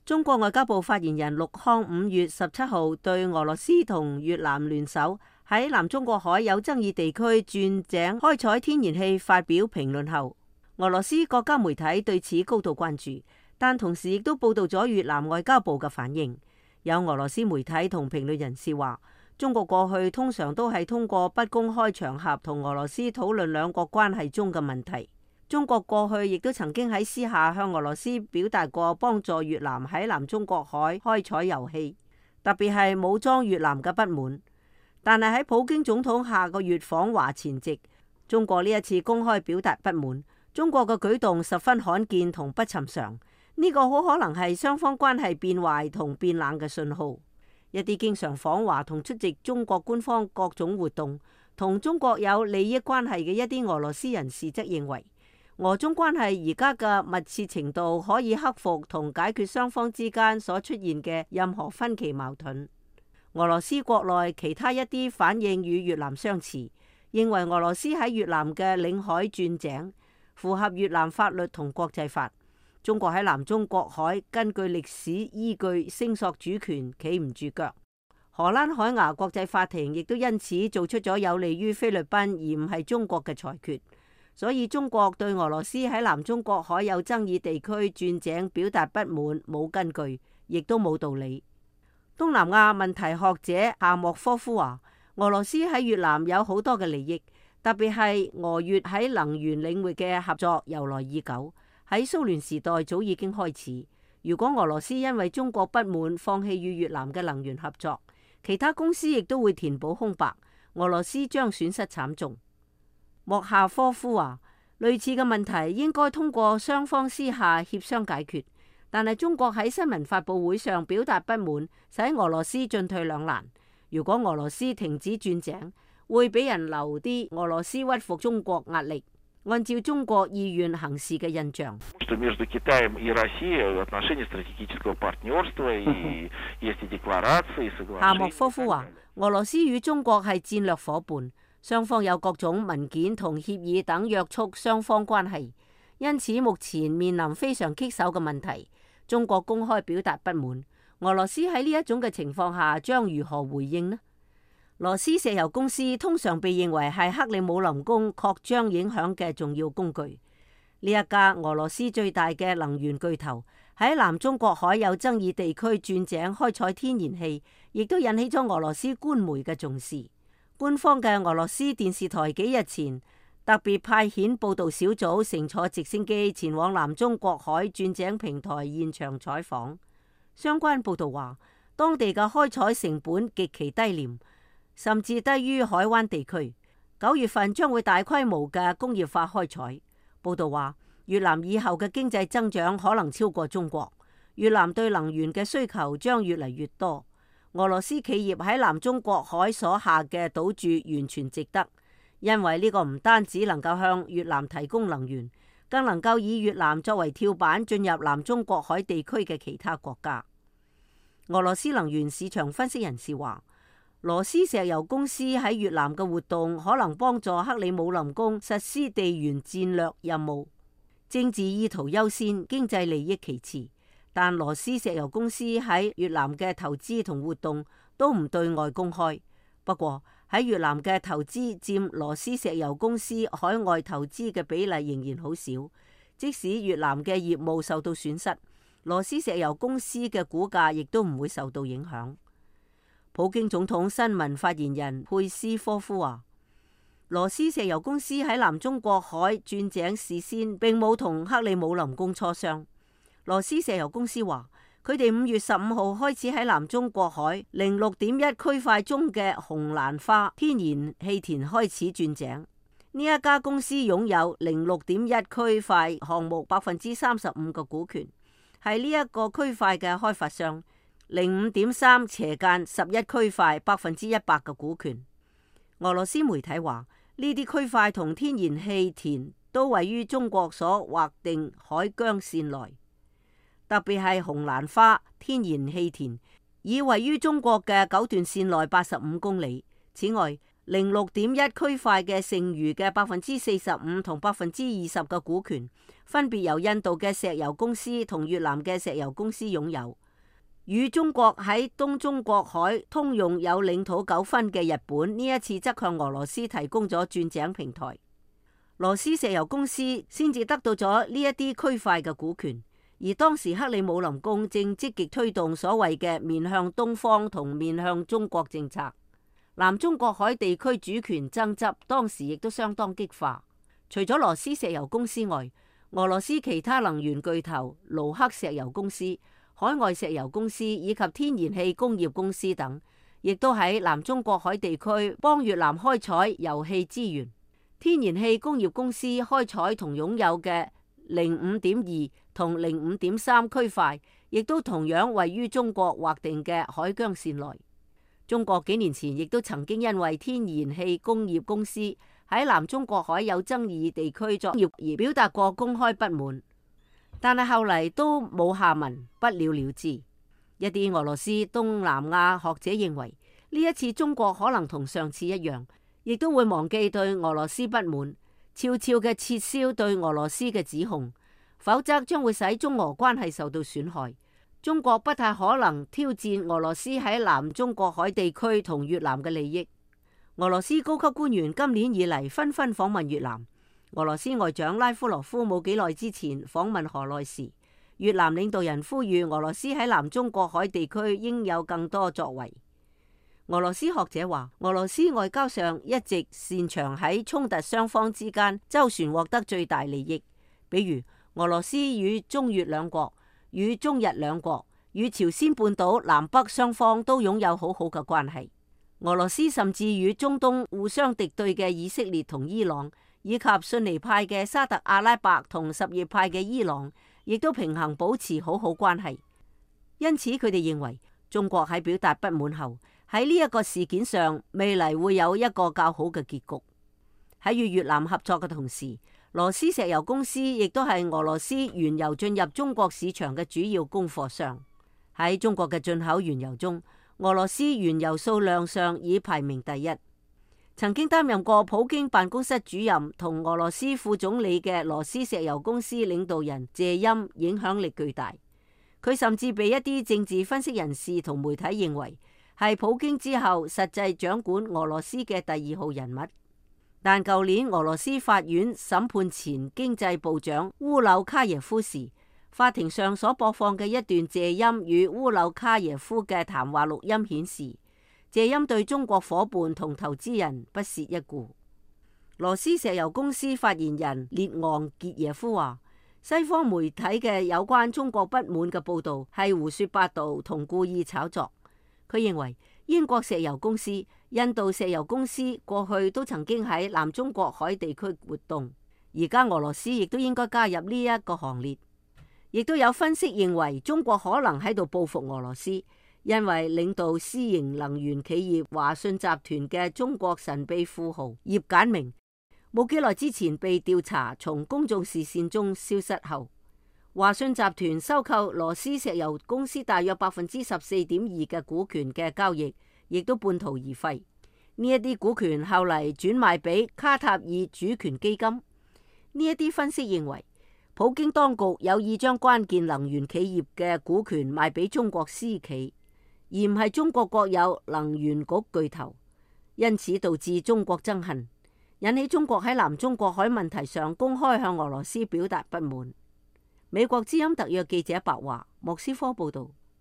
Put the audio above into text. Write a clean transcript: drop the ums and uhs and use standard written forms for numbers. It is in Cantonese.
中國外交部發言人陸康5月17號對俄羅斯同越南聯手喺南中國海有爭議地區鑽井開採天然氣發表評論後，俄羅斯國家媒體對此高度關注，但同時亦都報道咗越南外交部嘅反應。有俄羅斯媒體同評論人士話，中國過去通常都係通過不公開場合同俄羅斯討論兩國關係中嘅問題。中國過去亦都曾經喺私下向俄羅斯表達過幫助越南喺南中國海開採油氣，特別係武裝越南嘅不滿。但係喺普京總統下個月訪華前夕，中國呢一次公開表達不滿，中國嘅舉動十分罕見同不尋常。呢個好可能係雙方關係變壞同變冷嘅信號。一啲經常訪華同出席中國官方各種活動，同中國有利益關係嘅一啲俄羅斯人士則認為，俄中關係而家嘅密切程度可以克服同解決雙方之間所出現嘅任何分歧矛盾。俄羅斯國內其他一啲反應與越南相似，認為俄羅斯喺越南嘅領海鑽井符合越南法律同國際法。中國喺南中國海根據歷史依據聲索主權企唔住腳。荷蘭海牙國際法庭亦都因此做出咗有利於菲律賓而唔係中國嘅裁決。所以中國對俄羅斯喺南中國海有爭議地區鑽井表達不滿冇根據，亦都冇道理。東南亞問題學者夏莫科夫話，俄羅斯喺越南有好多嘅利益，特別係俄越喺能源領域嘅合作由來已久，喺蘇聯時代早已經開始。如果俄羅斯因為中國不滿放棄與越南嘅能源合作，其他公司亦都會填補空白，俄羅斯將損失慘重。莫夏科夫話，類似嘅問題應該通過雙方私下協商解決，但係中國喺新聞發佈會上表達不滿，使俄羅斯進退兩難。如果俄羅斯停止鑽井，會俾人留啲俄羅斯屈服中國壓力，按照中國意願行事嘅印象。夏莫科夫話，俄羅斯與中國係戰略夥伴。雙方有各種文件同協議等約束雙方關係，因此目前面臨非常棘手嘅問題。中國公開表達不滿，俄羅斯喺呢一種嘅情況下將如何回應呢？羅斯石油公司通常被認為係克里姆林宮擴張影響嘅重要工具。呢一家俄羅斯最大嘅能源巨頭喺南中國海有爭議地區鑽井開採天然氣，亦都引起咗俄羅斯官媒嘅重視。官方嘅俄羅斯電視台幾日前特別派遣報道小組乘坐直升機前往南中國海鑽井平台現場採訪。相關報道話，當地嘅開採成本極其低廉，甚至低於海灣地區。9月份將會大規模嘅工業化開採。報道話，越南以後嘅經濟增長可能超過中國。越南對能源嘅需求將越嚟越多。俄羅斯企業喺南中國海所下嘅賭注完全值得，因為呢個唔單止能夠向越南提供能源，更能夠以越南作為跳板進入南中國海地區嘅其他國家。俄羅斯能源市場分析人士話，羅斯石油公司喺越南嘅活動可能幫助克里姆林宮實施地緣戰略任務，政治意圖優先，經濟利益其次。但羅斯石油公司喺越南嘅投資同活動都唔對外公開。不過喺越南嘅投資佔羅斯石油公司海外投資嘅比例仍然好少。即使越南嘅業務受到損失，羅斯石油公司嘅股價亦都唔會受到影響。普京總統新聞發言人佩斯科夫話，羅斯石油公司喺南中國海鑽井事先並冇同克里姆林宮磋商。羅斯石油公司話，佢哋5月15號開始喺南中國海06.1區塊中嘅紅蘭花天然氣田開始鑽井。呢一家公司擁有06.1區塊項目35%嘅股權，係呢一個區塊嘅開發商。05.3/11區塊100%嘅股權。俄羅斯媒體話，呢啲區塊同天然氣田都位於中國所劃定海疆線內。特別係紅蘭花天然氣田，已位於中國嘅9段線內85公里。此外， 0.6.1區塊嘅剩餘嘅45%同20%嘅股權，分別由印度嘅石油公司同越南嘅石油公司擁有。與中國喺東中國海通用有領土糾紛嘅日本，呢一次則向俄羅斯提供咗鑽井平台。羅斯石油公司先至得到咗呢一啲區塊嘅股權，而當時克里姆林宮正積極推動所謂嘅面向東方同面向中國政策。南中國海地區主權爭執當時亦都相當激化。除咗羅斯石油公司外，俄羅斯其他能源巨頭盧克石油公司、海外石油公司以及天然氣工業公司等，亦都喺南中國海地區幫越南開採油氣資源。天然氣工業公司開採同擁有嘅05.2同05.3區塊，亦都同樣位於中國劃定嘅海疆線內。中國幾年前亦都曾經因為天然氣工業公司喺南中國海有爭議地區作業而表達過公開不滿，但係後嚟都冇下文，不了了之。一啲俄羅斯東南亞學者認為，呢一次中國可能同上次一樣，亦都會忘記對俄羅斯不滿，悄悄嘅撤銷對俄羅斯嘅指控，否則將會使中俄關係受到損害。中國不太可能挑戰俄羅斯喺南中國海地區同越南嘅利益。俄羅斯高級官員今年以嚟紛紛訪問越南。俄羅斯外長拉夫羅夫冇幾耐之前訪問河內時，越南領導人呼籲俄羅斯喺南中國海地區應有更多作為。俄羅斯學者話，俄羅斯外交上一直擅長喺衝突雙方之間周旋獲得最大利益，比如俄羅斯與中越兩國、與中日兩國、與朝鮮半島南北雙方都擁有好好嘅關係。俄羅斯甚至與中東互相敵對嘅以色列同伊朗，以及遜尼派嘅沙特阿拉伯同什葉派嘅伊朗，亦都平衡保持好好關係。因此佢哋認為，中國喺表達不滿後，喺呢一個事件上未嚟會有一個較好嘅結局。喺與越南合作嘅同時，羅斯石油公司亦都係俄羅斯原油進入中國市場嘅主要供貨商。喺中國嘅進口原油中，俄羅斯原油數量上已排名第一。曾經擔任過普京辦公室主任同俄羅斯副總理嘅羅斯石油公司領導人謝欽影響力巨大。佢甚至被一啲政治分析人士同媒體認為係普京之後實際掌管俄羅斯嘅第二號人物。但舊年俄羅斯法院審判前經濟部長烏柳卡耶夫時，法庭上所播放嘅一段謝欽與烏柳卡耶夫嘅談話錄音顯示，謝欽對中國夥伴同投資人不屑一顧。羅斯石油公司發言人列昂傑耶夫話，西方媒體嘅有關中國不滿嘅報道係胡說八道同故意炒作。佢認為英國石油公司、印度石油公司過去都曾經喺南中國海地區活動，而家俄羅斯亦都應該加入呢一個行列。亦都有分析認為，中國可能喺度報復俄羅斯，因為領導私營能源企業華信集團嘅中國神秘富豪葉簡明，冇幾耐之前被調查從公眾視線中消失後，華信集團收購羅斯石油公司大約14.2%嘅股權嘅交易，亦都半途而廢。呢一啲股權後嚟轉賣俾卡塔爾主權基金。呢一啲分析認為，普京當局有意將關鍵能源企業嘅股權賣俾中國私企，而唔係中國國有能源局巨頭，因此導致中國憎恨，引起中國喺南中國海問題上公開向俄羅斯表達不滿。美國之音特約記者白華，莫斯科報道。